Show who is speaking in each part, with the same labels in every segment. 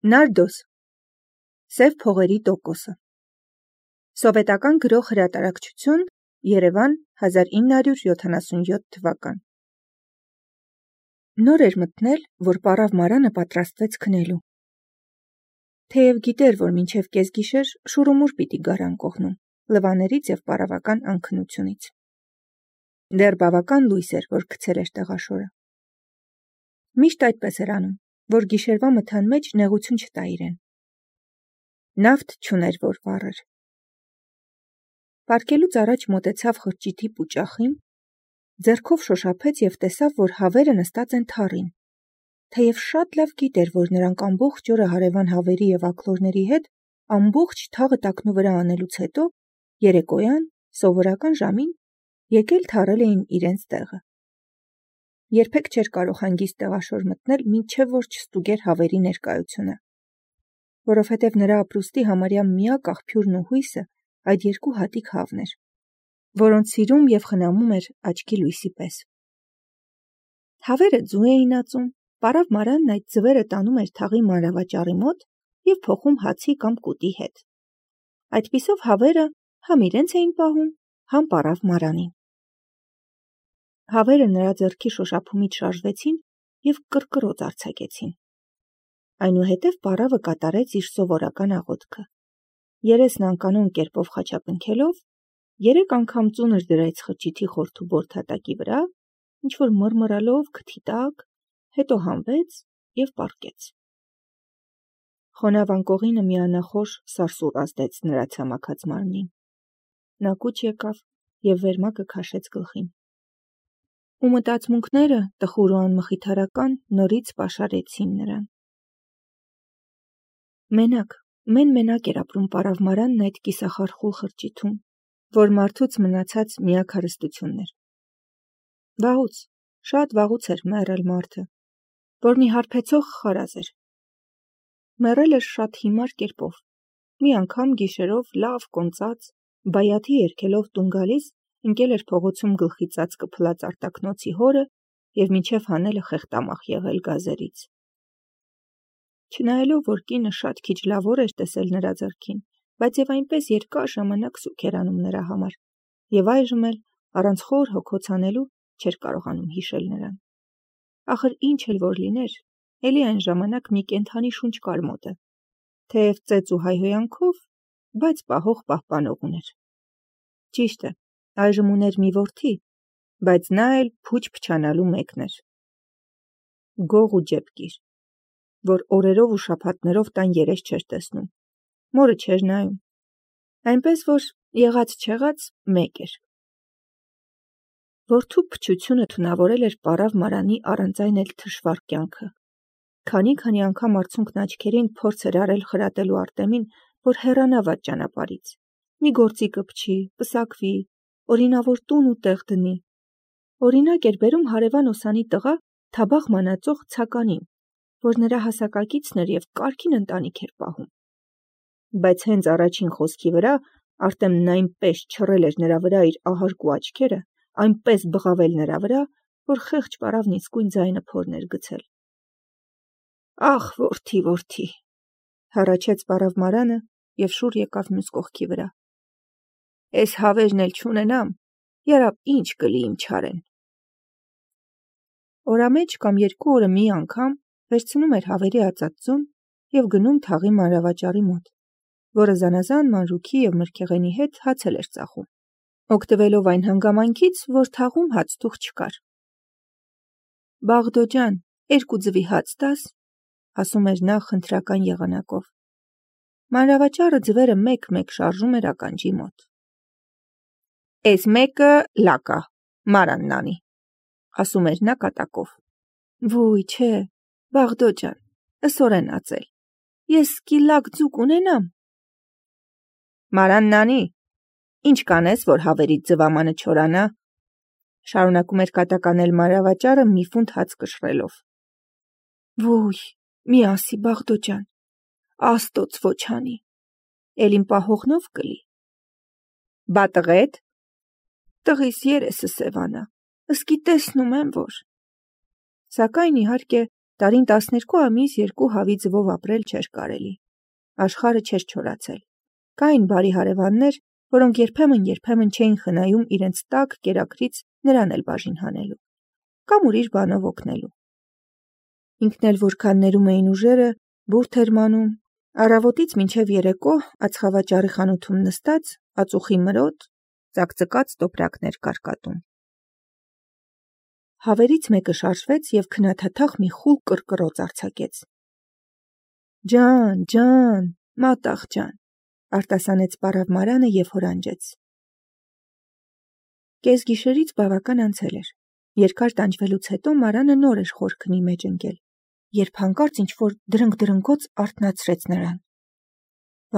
Speaker 1: Նարդոս, Սև փողերի տոկոսը, Սովետական գրող հրատարակչություն, Երևան, 1977 թվական։ Նոր էր մտնել, որ պարավ Մարանը պատրաստվեց քնելու։ Թեև գիտեր, որ մինչև կեսգիշեր շուրումուր պիտի գար անկողնում, լվաներից և պարավական անքնությունից։ Դեռ բավական լույս էր, որ գցել էր տեղաշորը։ Միշտ այդպես էր անում, որ գիշերվա մթան մեջ նեղություն չտա իրեն։ Նավթ չուներ, որ վառեր։ Պառկելուց առաջ մոտեցավ խրճիթի պուճախին, ձեռքով շոշափեց և տեսավ, որ հավերը նստած են թառին։ Թեև շատ լավ գիտեր, որ նրանք ամբողջ օրը հարևան հավերի և աքլորների հետ ամբողջ թաղը տակնու վրա անելուց հետո, երեկոյան, սովորական ժամին, եկել թառել էին իրենց տեղը։ Երբեք չէր կարող հանգիստ տեղաշոր մտնել, մինչև որ չստուգեր հավերի ներկայությունը, որովհետև նրա ապրուստի համարյա միակ աղբյուրն ու հույսը այդ երկու հատիկ հավն էր, որոնց սիրում և խնամում էր աչքի լույսի պես։ Հավերը ձու էին ածում, պարավ Մարանն այդ ձվերը տանում էր թաղի մանրավաճառի մոտ և փոխում հացի կամ կուտի հետ։ Այդպիսով հավերը համ իրենց էին պահում, համ պարավ Մարանին։ Հավերը նրա ձեռքի շոշափումից շարժվեցին և կռկռոց արձակեցին։ Այնուհետև պարավը կատարեց իր սովորական աղոթքը։ Երեսն անկանոն կերպով խաչապնքելով, 3 անգամ ծունր դրեց խրճիթի խորթու բորդատակի վրա, ինչ-որ մռմռալով քթի տակ, հետո հանվեց և պառկեց։ Խոնավ անկողինը մի անախորժ սարսուռ ազդեց նրա ցամաքած մարմնին։ Նա կուչ եկավ և վերմակը քաշեց գլխին։ Ու մտածմունքները, տխուր ու անմխիթարական, նորից պաշարեցին նրան։ Մենակ, մեն-մենակ էր ապրում պարավ Մարանն այդ կիսախարխուլ խրճիթում, որ մարդուց մնացած միակ հարստությունն էր։ Վաղուց, շատ վաղուց էր մեռել մարդը, որ մի հարբեցող խարազ էր։ Մեռել էր շատ հիմար կերպով։ Մի անգամ գիշերով լավ կոնծած, բայաթի երգելով տուն գալիս, ընկել էր փողոցում գլխի ծածկը փլած արտակնոցի հորը և մինչև հանելը խեղտամախ եղել գազերից։ Չնայելով, որ կինը շատ քիչ լավ օր էր տեսել նրա ձեռքին, բայց և այնպես երկար ժամանակ սուգ էր անում նրա համար, և այժմ էլ, առանց խոր հոգոց անելու, չէր կարողանում հիշել նրան։ Ախր ինչ էլ որ լիներ, էլի այն ժամանակ մի կենդանի շունչ կար մոտը, թեև ծեծ ու հայհոյանքով, բայց պահող պահպանող ուներ։ Ճիշտ է, այժմ ուներ մի որդի, բայց նա էլ փուչ փչանալու մեկն էր։ Գող ու ջեպկիր, որ օրերով ու շաբաթներով տան երես չէր տեսնում, մորը չէր նայում, այնպես որ եղած-չեղած մեկ էր։ Որդու փչությունը թունավորել էր պարավ Մարանի առանց այն էլ թշվառ կյանքը։ Քանի անգամ արցունքն աչքերին փորձ էր արել խրատելու Արտեմին, որ հեռանա վատ ճանապարհից, մի գործի կպչի, պսակվի, օրինավոր տուն ու տեղ դնի։ Օրինակ էր բերում հարևան Օսանի տղա Թաբախ մանածող Ցականին, որ նրա հասակակիցն էր և կարգին ընտանիք էր պահում։ Բայց հենց առաջին խոսքի վրա Արտեմն այնպես չռել էր նրա վրա իր ահարկու աչքերը, այնպես բղավել նրա վրա, որ խեղճ պարավն իսկույն ձայնը փորն էր գցել։ Ախ, որդի, հառաչեց պարավ Մարանը և շուռ եկավ մյուս կողքի վրա։ Էս հավերն էլ չունենամ, երապ ինչ կլի իմ չարեն։ Օրամեջ կամ 2 օրը մի անգամ վերցնում էր հավերի ածած ձուն և գնում թաղի մանրավաճառի մոտ, որը զանազան մանրուքի և մրգեղենի հետ հաց էլ էր ծախում, օգտվելով այն հանգամանքից, որ թաղում հաց-թուղ չկար։ Բաղդո ջան, 2 ձվի հաց տաս, ասում էր նա խնդրական եղանակով։ Մանրավաճառը ձվերը մեկ-մեկ շարժում էր ականջի մոտ։ Էս մեկը լակա, Մարանն անի, ասում էր նա կատակով։ Վույ, չէ, Բաղդո ջան, ըսօրեն ածել, ես սկի լակ ձուկ ունենամ։ Մարանն անի, ինչ կանես, որ հավերից ձվամանը չորանա, շարունակում էր կատականել մանրավաճառը մի ֆունտ հաց կշռելով։ Վույ, մի ասի, Բաղդո ջան, Աստոց ոչ անի, էլ իմ պահողնով կլի։ Բա տղեդ։ Տղիս երեսը սևանա, ըսկի տեսնում եմ, որ։ Սակայն իհարկե Տարին 12 ամիս 2 հավի ձվով ապրել չէր կարելի։ Աշխարհը չէր չորացել։ Կային բարի հարևաններ, որոնք երբեմն չէին խնայում իրենց տաք կերակրից նրան էլ բաժին հանելու, կամ ուրիշ բանով օգնելու։ Ինքն էլ որքան ներում էին ուժերը, բուրդ էր մանում, առավոտից մինչև երեկո ածխավաճառի խանութում նստած, ածուխի մրոտ, ծակծկած տոպրակներ կարկատում։ Հավերից մեկը շարժվեց և քնաթաթախ մի խուլ կռկռոց արձակեց։ Ջան, մատաղ ջան, արտասանեց պարավ Մարանը և հորանջեց։ Կեսգիշերից բավական անցել էր։ Երկար տանջվելուց հետո Մարանը նոր էր խորքնի մեջ ընկել, երբ հանկարծ ինչ-որ դրնգ-դրնգոց արթնացրեց նրան։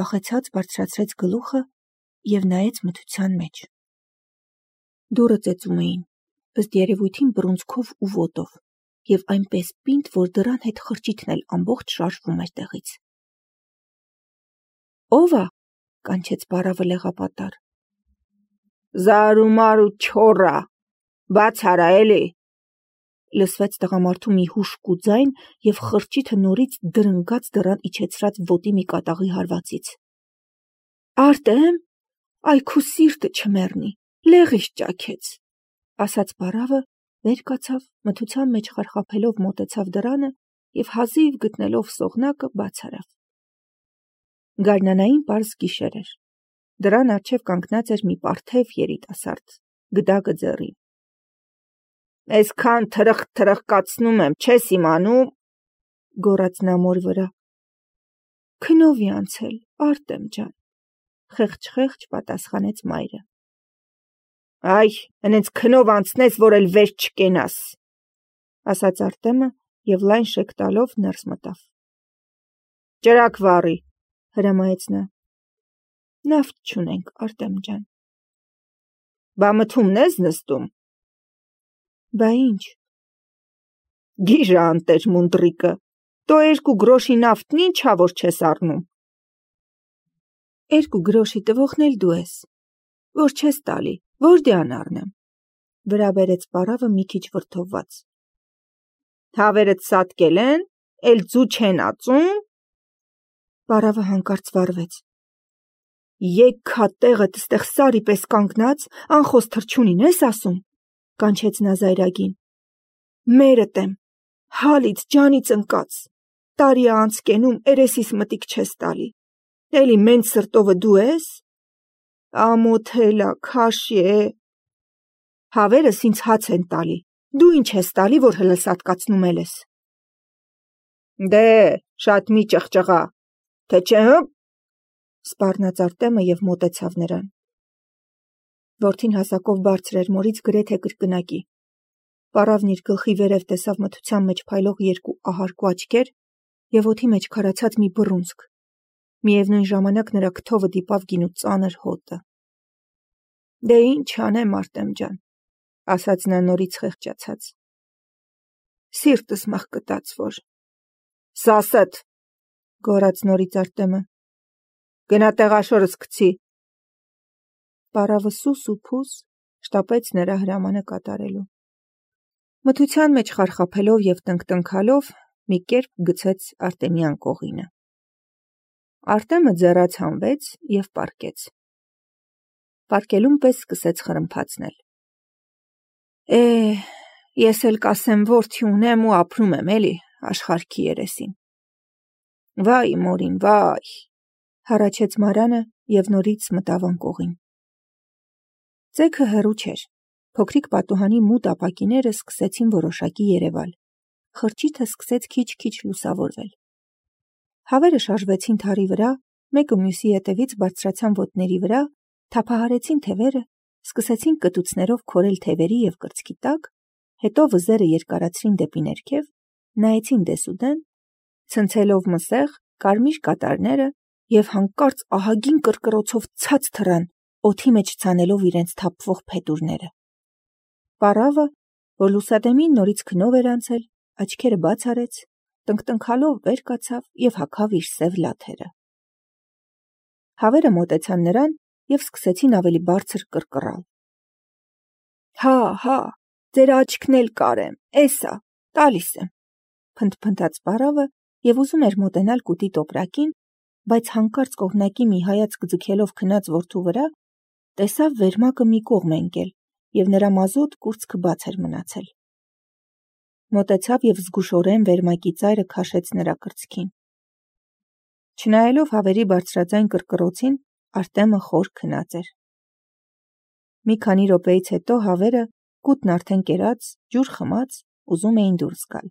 Speaker 1: Վախեցած բարձրացրեց գլուխը և նայեց մթության մեջ։ Դուռը ծեծում էին, ըստ երևույթին բռունցքով ու ոտով, և այնպես պինդ, որ դռան հետ խրճիթն էլ ամբողջ շարժվում էր տեղից։ Ո՞վ ա, կանչեց պարավը լեղապատառ։ Զարումարու չոռա, բաց արա էլի, լսվեց տղամարդու մի հուժկու ձայն և խրճիթը նորից դրնգաց դռան իջեցրած ոտի մի կատաղի հարվածից։ Արտեմ, այ քու սիրտը չմեռնի, լեղիս ճաքեց, ասաց պարավը, վեր կացավ, մթության մեջ խարխափելով մոտեցավ դռանը և հազիվ գտնելով սողնակը բաց արավ։ Գարնանային պարզ գիշեր էր։ Դռան առջև կանգնած էր մի պարթև երիտասարդ, գդակը ձեռին։ Այսքան թրխկացնում եմ, չես իմանում, գոռաց նա մոր վրա։ Քնովի անցել, Արտեմ ջան, խեղճ պատասխանեց մայրը։ Այ, հենց քնով անցնես, որ էլ վեր չկենաս, ասաց Արտեմը և լայն շեք տալով ներս մտավ։ Ճրակ վառի, հրամայեց նա։ Նավթ չունենք, Արտեմ ջան։ Բա մթումն ես նստում։ Բա ինչ։ Գիժը անտեր մունդրիկը, տո 2 գրոշի նավթն ինչա, որ չես առնում։ 2 գրոշի տվողն էլ դու ես, որ չես տալի, որդյան առնեմ, վրա բերեց պարավը մի քիչ վրդովված։ Հավերդ սատկել են, էլ ձու չեն ածում։ Պարավը հանկարծ վառվեց։ Եքքա տեղդ ստեղ սարի պես կանգնած, անխոս թռչունին ես ասում, կանչեց նա զայրագին։ Մերդ եմ, հալից ջանից ընկած, տարի է անց կենում, երեսիս մտիկ չես տալի, էլի մենց սրտովը դու ես։ Ամոթելա, քաշի է։ Հավերս ինձ հաց են տալի, դու ինչ ես տալի, որ հլսատկացնում ես։ Դե, շատ մի ճղճղա, թե չէ հը, սպառնաց Արտեմը և մոտեցավ նրան։ Որդին հասակով բարձր էր մորից գրեթե կրկնակի։ Պարավն իր գլխի վերև տեսավ մթության մեջ փայլող 2 ահարկու աչքեր և օդի մեջ քարացած մի բռունցք։ Միևնույն ժամանակ նրա քթովը դիպավ գինու ծանր հոտը։ Դե ինչ անեմ, Արտեմ ջան, ասաց նա նորից խեղճացած։ Սիրտս մղկտաց որ։ Սասդ, գոռաց նորից Արտեմը։ Գնա տեղաշորս գցի։ Պարավը սուս ու փուս շտապեց նրա հրամանը կատարելու։ Մթության մեջ խարխափելով և տնկտնքալով մի կերպ գցեց Արտեմյան կողինը։ Արտեմը ձեռաց հանվեց և պառկեց։ Պառկելուն պես սկսեց խրմփացնել։ Ես էլ կասեմ որդի ունեմ ու ապրում եմ էլի աշխարհքի երեսին։ Վայ մորին, վայ, հառաչեց Մարանը և նորից մտավ անկողին։ Ձեքը հեռու չէր։ Փոքրիկ պատուհանի մութ ապակիները սկսեցին որոշակի երևալ։ Խրճիթը սկսեց քիչ-քիչ լուսավորվել։ Հավերը շարժվեցին թարի վրա, մեկը մյուսի ետևից բարձրացան ոտների վրա, թափահարեցին թևերը, սկսեցին կտուցներով քորել թևերի և կրծքի տակ, հետո վզերը երկարացրին դեպի ներքև, նայեցին դեսուդեն, ցնցելով մսեղ, կարմիր կատարները և հանկարծ ահագին կռկռոցով ցած թռան, օդի մեջ ցանելով իրենց թափվող փետուրները։ Պարավը, որ լուսադեմին նորից քնով էր անցել, աչքերը բաց արեց, տնկտնքալով վեր կացավ և հագավ իր սև լաթերը։ Հավերը մոտեցան նրան և սկսեցին ավելի բարձր կռկռալ։ Հա, ձեր աչքն էլ կարեմ, էսա, տալիս եմ, փնթփնթաց պարավը և ուզում էր մոտենալ կուտի տոպրակին, բայց հանկարծ կողմնակի մի հայացք ձգելով քնած որդու վրա, տեսավ վերմակը մի կողմ է ընկել, և նրա մազոտ կուրծքը բաց էր մնացել։ Մոտեցավ և զգուշորեն վերմակի ծայրը քաշեց նրա կրծքին։ Չնայելով հավերի բարձրաձայն կռկռոցին, Արտեմը խոր քնած էր։ Մի քանի րոպեից հետո հավերը, կուտն արդեն կերած, ջուր խմած, ուզում էին դուրս գալ։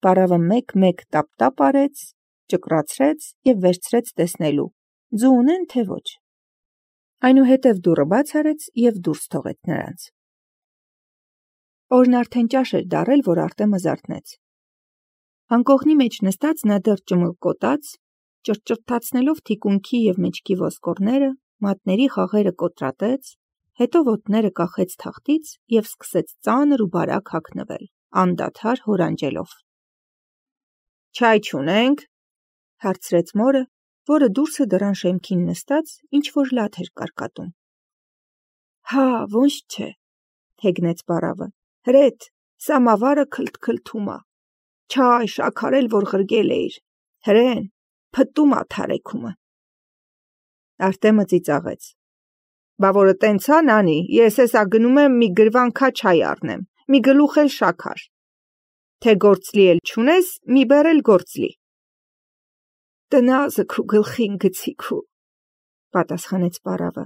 Speaker 1: Պարավը մեկ-մեկ տապ-տապ արեց, ճկռացրեց և վերցրեց տեսնելու, ձու ունեն, թե ոչ։ Այնուհետև դուռը բաց արեց և դուրս թողեց նրանց։ Օրն արդեն ճաշ էր դառել, որ Արտեմը զարթնեց։ Անկողնի մեջ նստած նա դեռ ճմլկոտաց, ճռճռթացնելով թիկունքի և մեջքի ոսկորները, մատների խաղերը կոտրատեց, հետո ոտները կախեց թախտից և սկսեց ծանր ու բարակ հագնվել, անդադար հորանջելով։ «Չայ չունենք», հարցրեց մորը, որը դուրսը դռան շեմքին նստած ինչ-որ լաթ էր կարկատում։ «Հա, ոնց չէ», հեգնեց պարավը, «հրետ, սամավարը քլթքլթում ա, չայ շաքարել, որ ղրգել էիր, հրեն, փտտում ա թարեքումը»։ Արտեմը ծիծաղեց. «Բա որը տենց ա, նանի, ես էսա գնում եմ մի գրվանքա չայ առնեմ, մի գլուխ էլ շաքար, թե գործլի էլ չունես, մի բեռ էլ գործլի»։ «Տնազը քու գլխին գցի քու», պատասխանեց պարավը։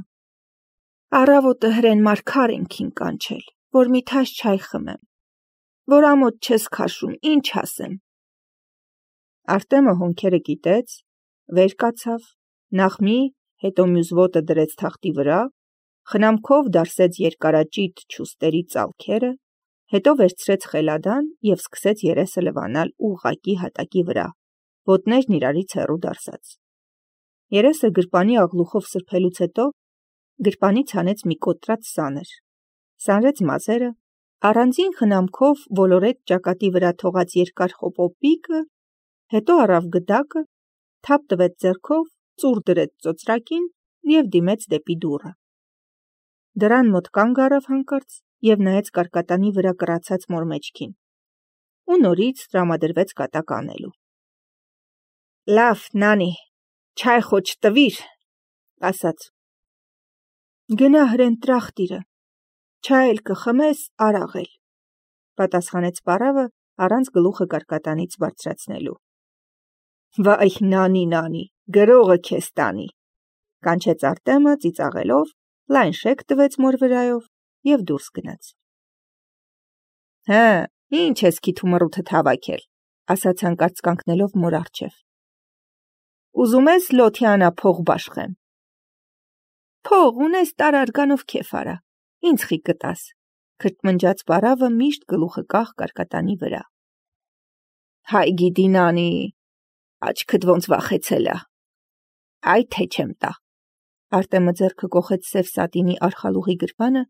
Speaker 1: «Առավոտը հրեն մարգար ենք կանչել, որ մի թաշ չայ խմեմ, որ ամոթ չես քաշում, ինչ ասեմ»։ Արտեմը հոնքերը կիտեց, վեր կացավ, նախ մի, հետո մյուս ոտը դրեց թախտի վրա, խնամքով դարսեց երկարաճիտ չուստերի ծալքերը, հետո վերցրեց խելադան և սկսեց երեսը լվանալ ուղղակի հատակի վրա, ոտներն իրարից հեռու դարսած։ Երեսը գրպանի աղլուխով սրբելուց հետո գրպանից հանեց մի կոտրած սանր, սանրեց մազերը, առանձին խնամքով ոլորեց ճակատի վրա թողած երկար խոպոպիկը, հետո առավ գդակը, թափ տվեց ձեռքով, ծուռ դրեց ծոծրակին և դիմեց դեպի դուռը։ Դռան մոտ կանգ առավ հանկարծ և նայեց կարկատանի վրա կռացած մոր մեջքին ու նորից տրամադրվեց կատակ անելու։ «Լավ, նանի, չայ խո չտվիր», ասաց։ «Գնա հրեն տրախտիրը, չայ էլ կխմես, արաղ էլ», պատասխանեց պարավը առանց գլուխը կարկատանից բարձրացնելու։ «Վայ, նանի, գրողը քեզ տանի», կանչեց Արտեմը ծիծաղելով, լայն շեք տվեց մոր վրայով և դուրս գնաց։ «Հը, ինչ ես քիթու մռութդ հավաքել», ասաց հանկարծ կանգնելով մոր առջև։ «Ուզում ես լոթյանա փող բաշխեմ»։ «Փող ունես տարարգանով քեֆ արա, ինձ խի կտաս», քրթմնջաց պարավը միշտ գլուխը կախ կարկատանի վրա։ «Հայ գիտի, նանի, աչքդ ոնց վախեցել ա, այ թե չեմ տա»։ Արտեմը ձեռքը կոխեց սև սատինի արխալուղի գրպանը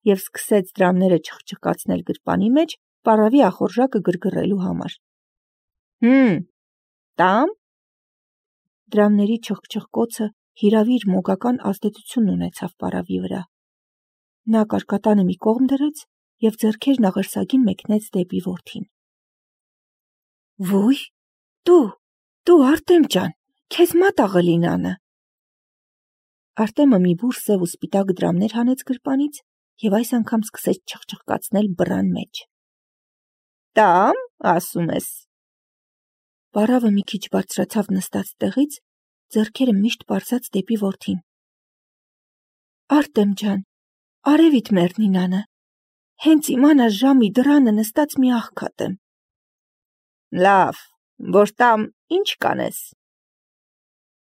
Speaker 1: և սկսեց դրամները չխչխկացնել գրպանի մեջ պարավի ախորժակը գրգռելու համար։ Տամ։ Դրամների չխչխկոցը հիրավիր մոգական ազդեցություն ունեցավ պարավի վրա։ Նա կարկատանը մի կողմ դրեց և ձեռքերն աղերսագին մեկնեց դեպի որդին։ «Ոյ, դու Արտեմ ջան, քեզ մատաղը լինանը»։ Արտեմը մի բուր սև ու սպիտակ դրամներ հանեց գրպանից և այս անգամ սկսեց չխչխկացնել բռան մեջ։ «Տամ, ասում ես»։ Պարավը մի քիչ բարձրացավ նստած տեղից, ձեռքերը միշտ պարզած դեպի որդին։ «Արտեմ ջան, արևիդ մեռնինանը, հենց իմանաս ժամի դռանը նստած մի աղքատ եմ»։ «Լավ, որ տամ, ինչ կանես»։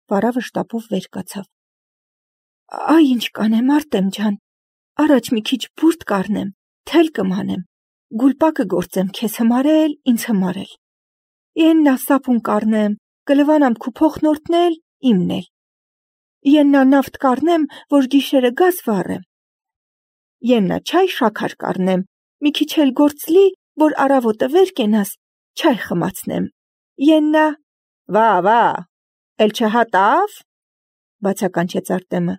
Speaker 1: Պարավը շտապով վեր կացավ։ «Այ ինչ կանեմ, Արտեմ ջան, առաջ մի քիչ բուրդ կառնեմ, թել կմանեմ, գուլպակը գործեմ քեզ հմարել, ինձ հմարել։ Եննա սապուն կառնեմ, կլվանամ քու փոխնորդն էլ, իմն էլ։ Եննա նավթ կառնեմ, որ գիշերը գազ վառեմ։ Եննա չայ շաքար կառնեմ, մի քիչ էլ գործլի, որ առավոտը վեր կենաս, չայ խմացնեմ։ Եննա…» Վա, էլ չհատավ, բացականչեց Արտեմը։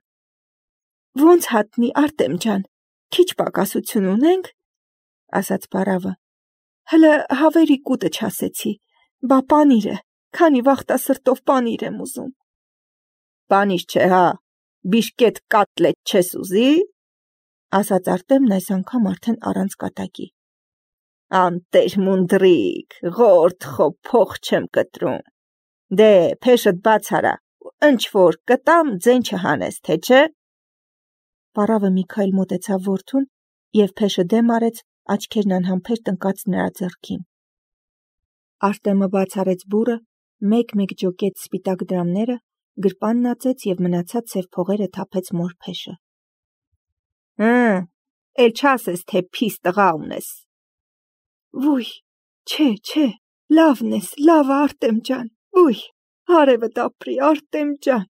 Speaker 1: «Ոնց հատնի, Արտեմ ջան, քիչ պակասություն ունենք», ասաց պարավը։ Հլը հավերի կուտը չասեցի, բա պանիր է, քանի վախտա սրտով պանիր եմ ուզում։ Պանիր չէ, հա, բիշկետ կատլետ չես ուզի, ասաց Արտեմն այս անգամ արդեն առանց կատակի։ Անտեր մունդրիկ, ղորդ խո փող չեմ կտրում։ Դե, փեշդ բաց արա, ընչ որ կտամ ձեն չհանես, թե չէ։ Պարավը մի քայլ մոտեցավ որդուն և փեշը դեմ արեց, աչքերն անհամբեր տնկած նրա ձեռքին։ Արտեմը բաց արեց բուրը, մեկ-մեկ ջոկեց սպիտակ դրամները, գրպանն ածեց և մնացած սև փողերը թափեց մոր փեշը։ Էլ չասես, թե փիս տղա ունես։ Վույ, չէ, լավն ես, լավը Արտեմ ջան, վույ, հարևդ ապրի, Արտեմ ջան,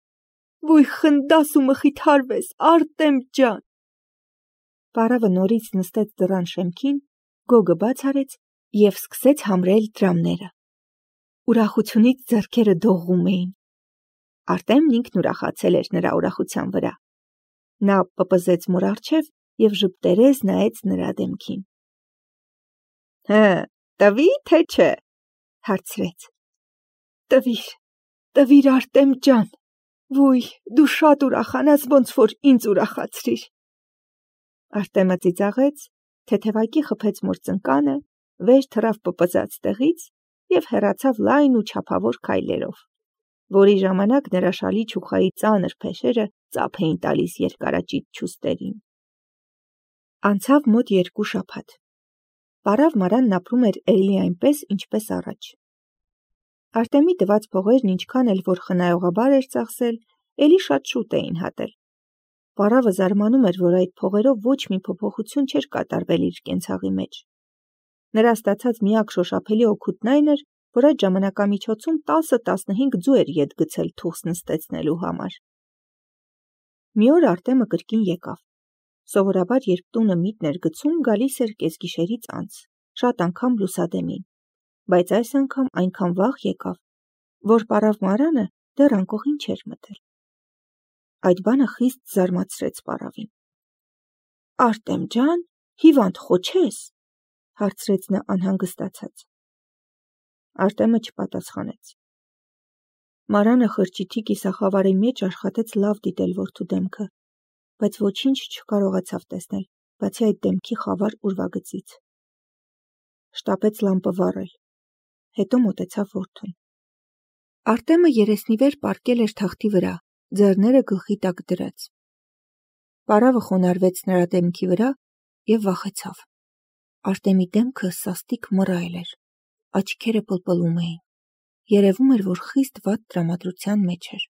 Speaker 1: վույ խնդաս ու մխիթարվես, Արտեմ ջան։ Պարավը նորից նստեց դռան շեմքին, գոգը բաց արեց և սկսեց համրել դրամները։ Ուրախությունից ձեռքերը դողում էին։ Արտեմն ինքն ուրախացել էր նրա ուրախության վրա։ Նա պպզեց մոր առջև և ժպտերես նայեց նրա դեմքին։ Տվի, թե չէ, հարցրեց։ Տվիր Արտեմ ջան, վույ, դու շատ ուրախանաս, ոնց որ ինձ ուրախացրիր։ Արտեմը ծիծաղեց, թեթևակի խփեց մոր ծնկանը, վեր թռավ պպզած տեղից և հեռացավ լայն ու չափավոր քայլերով, որի ժամանակ նրա շալի չուխայի ծանր փեշերը ծափ էին տալիս երկարաճիտ չուստերին։ Անցավ մոտ 2 շաբաթ։ Պարավ Մարանն ապրում էր էլի այնպես, ինչպես առաջ։ Արտեմի տված փողերն ինչքան էլ որ խնայողաբար էր ծախսել, էլի շատ շուտ էին հատել։ Պարավը զարմանում էր, որ այդ փողերով ոչ մի փոփոխություն չէր կատարվել իր կենցաղի մեջ։ Նրա ստացած միակ շոշափելի օգուտն այն էր, որ այդ ժամանակամիջոցում 10-15 ձու էր ետ գցել թուղթ նստեցնելու համար։ Մի օր Արտեմը կրկին եկավ։ Սովորաբար, երբ տունը միտն էր գցում, գալիս էր կեսգիշերից անց, շատ անգամ լուսադեմին, բայց այս անգամ այնքան վաղ եկավ, որ պարավ Մարանը դեռ անկողին չէր մտել։ Այդ բանը խիստ զարմացրեց պարավին։ Արտեմ ջան, հիվանդ խոչես, հարցրեց նա անհանգստացած։ Արտեմը չպատասխանեց։ Մարանը խրճիթի կիսախավարի մեջ աշխատեց լավ դիտել որդու դեմքը, բայց ոչինչ չկարողացավ տեսնել, բացի այդ դեմքի խավար ուրվագծից։ Շտապեց լամպը վառել, հետո մոտեցավ որդուն։ Արտեմը երեսնիվեր պառկել էր թախտի վրա, ձեռները գլխի տակ դրած։ Պարավը խոնարհվեց նրա դեմքի վրա և վախեցավ։ Արտեմի դեմքը սաստիկ մռայլ էր, աչքերը պլպլում էին, երևում էր, որ խիստ վատ տրամադրության մեջ էր։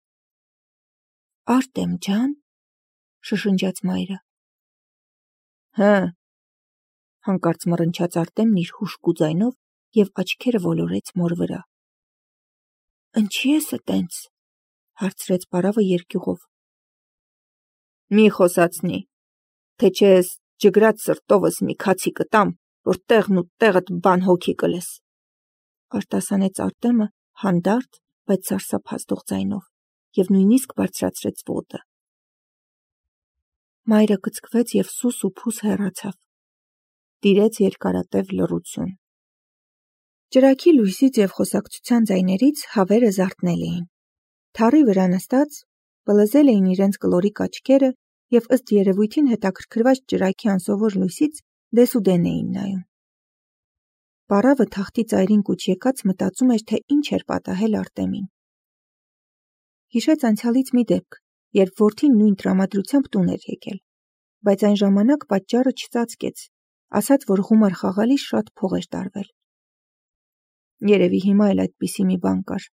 Speaker 1: Արտեմ ջան, շշնջաց մայրը։ Հանկարծ մռնչաց Արտեմն իր հուժկու ձայնով և աչքերը ոլորեց մոր վրա։ Ինչի ես տենց, հարցրեց պարավը երկյուղով։ Մի խոսացնի, թե չէ ես ջգրած սրտովս մի քացի կտամ, որ տեղն ու տեղդ բան հոգի կլես, արտասանեց Արտեմը հանդարտ, բայց սարսափազդող ձայնով և նույնիսկ բարձրացրեց ոտը։ Մայրը կծկվեց և սուս ու փուս հեռացավ։ Տիրեց երկարատև լռություն։ Ճրագի լույսից և խոսակցության ձայներից հավերը զարթնել էին։ Թառի վրա նստած, պլզել էին իրենց կլորիկ աչքերը և ըստ երևույթին հետաքրքրված ճրագի անսովոր լույսից դեսուդեն էին նայում։ Պարավը թախտի ծայրին կուչ եկած մտածում էր, թե ինչ էր պատահել Արտեմին։ Հիշեց անցյալից մի դեպք, երբ որդին նույն տրամադրությամբ տուն էր եկել, բայց այն ժամանակ պատճառը չծածկեց, ասաց, որ գումար խաղալիս շատ փող էր տարվել։ Երևի հիմա էլ այդպիսի մի բան կար,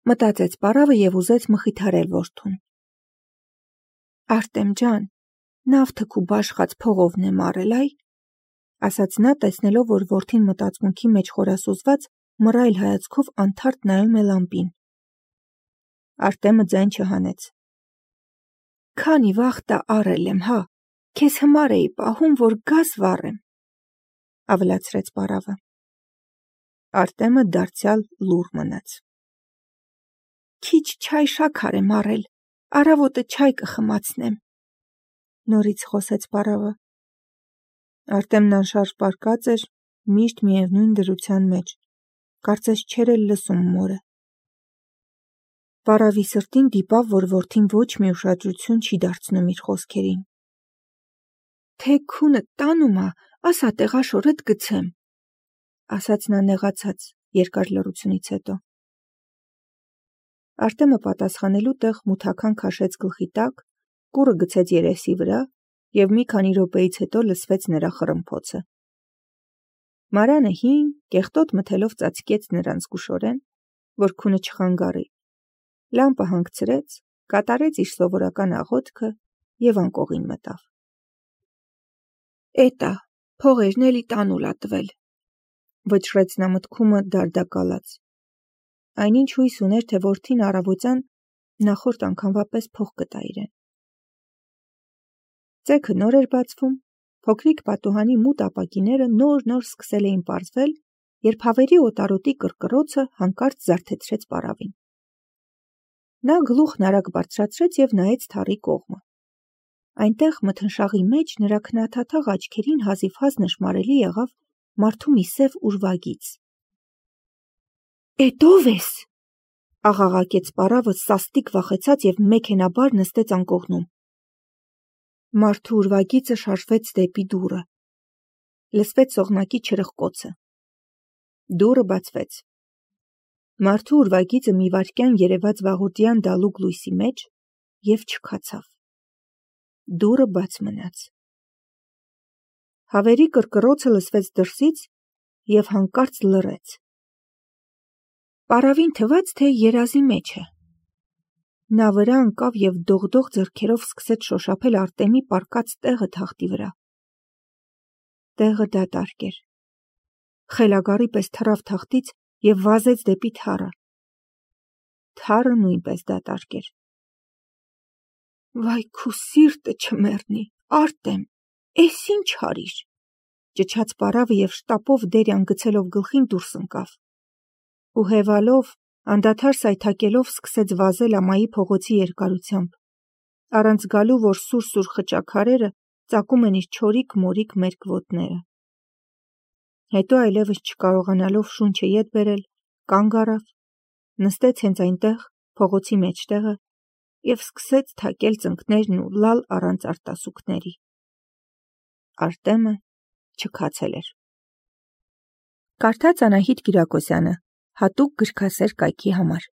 Speaker 1: մտածեց պարավը և ուզեց մխիթարել որդուն։ Արտեմ ջան, նավթը քու բաշխած փողովն եմ առել, այ, ասաց նա, տեսնելով, որ որդին մտածմունքի մեջ խորասուզված մռայլ հայացքով անթարթ նայում է լամպին։ Արտեմը ձայն չհանեց։ Քանի վախտա առել եմ, հա, քեզ հիմար էի պահում, որ գաս վառեմ, ավելացրեց պարավը։ Արտեմը դարձյալ լուռ մնաց։ Քիչ չայ շաքար եմ առել, առավոտը չայ կխմացնեմ, նորից խոսեց պարավը։ Արտեմն անշարժ պառկած էր, միշտ միևնույն դրության մեջ, կարծես չէր էլ լսում մորը։ Պարավի սրտին դիպավ, որ որդին ոչ մի ուշադրություն չի դարձնում իր խոսքերին։ «Թե քունը տանում ա, ասա տեղաշորդ գցեմ», ասաց նա նեղացած երկար լռությունից հետո։ Արտեմը պատասխանելու տեղ մութաքան քաշեց գլխի տակ, կուռը գցեց երեսի վրա և մի քանի րոպեից հետո լսվեց նրա խռմփոցը։ Մարանը հին, կեղտոտ մթելով ծածկեց նրան զգուշորեն, որ քունը չխանգարի, լամպը հանգցրեց, կատարեց իր սովորական աղոթքը և անկողին մտավ։ «Էտա, փողերն էլի տանուլ ա տվել», վճռեց նա մտքումը դարդակալած։ Այնինչ հույս ուներ, թե որդին առավոտյան նախորդ անգամվա պես փող կտա իրեն։ Ծեքը նոր էր բացվում, փոքրիկ պատուհանի մութ ապակիները նոր-նոր սկսել էին պարզվել, երբ հավերի օտարոտի կռկռոցը հանկարծ զարթեցրեց պարավին։ Նա գլուխն արագ բարձրացրեց և նայեց թառի կողմը։ Այնտեղ մթնշաղի մեջ նրա քնաթաթաղ աչքերին հազիվհազ նշմարելի եղավ մարդու մի սև ուրվագիծ։ «Էդ ո՞վ ես», աղաղակեց պարավը սաստիկ վախեցած և մեքենաբար նստեց անկողնում։ Մարդու ուրվագիծը շարժվեց դեպի դուռը։ Լսվեց սողնակի չրխկոցը։ Դուռը բացվեց։ Մարդու ուրվագիծը մի վայրկյան երևաց վաղորդյան դալուկ լույսի մեջ և չքացավ։ Դուռը բաց մնաց։ Հավերի կռկռոցը լսվեց դրսից և հանկարծ լռեց։ Պարավին թվաց, թե երազի մեջ է։ Նա վրա ընկավ և դողդող ձեռքերով սկսեց շոշափել Արտեմի պառկած տեղը թախտի վրա։ Տեղը դատարկ էր։ Խելագարի պես թռավ թախտից և վազեց դեպի թառը։ Թառը նույնպես դատարկ էր։ «Վայ քու սիրտը չմեռնի, Արտեմ, էս ինչ արիր», ճչաց պարավը և շտապով դերյան գցելով գլխին դուրս ընկավ։ Ու հևալով, անդադար սայթաքելով սկսեց վազել ամայի փողոցի երկարությամբ, առանց զգալու, որ սուր-սուր խճաքարերը ծակում են իր չորիկ-մորիկ մերկ ոտները։ Հետո այլևս չկարողանալով շունչը ետ բերել, կանգ առավ, նստեց հենց այնտեղ, փողոցի մեջտեղը և սկսեց թակել ծնկներն ու լալ առանց արտասուքների։ Արտեմը չքացել էր։ Կարդաց Անահիտ Կիրակոսյանը, հատուկ գրքասեր կայքի համար։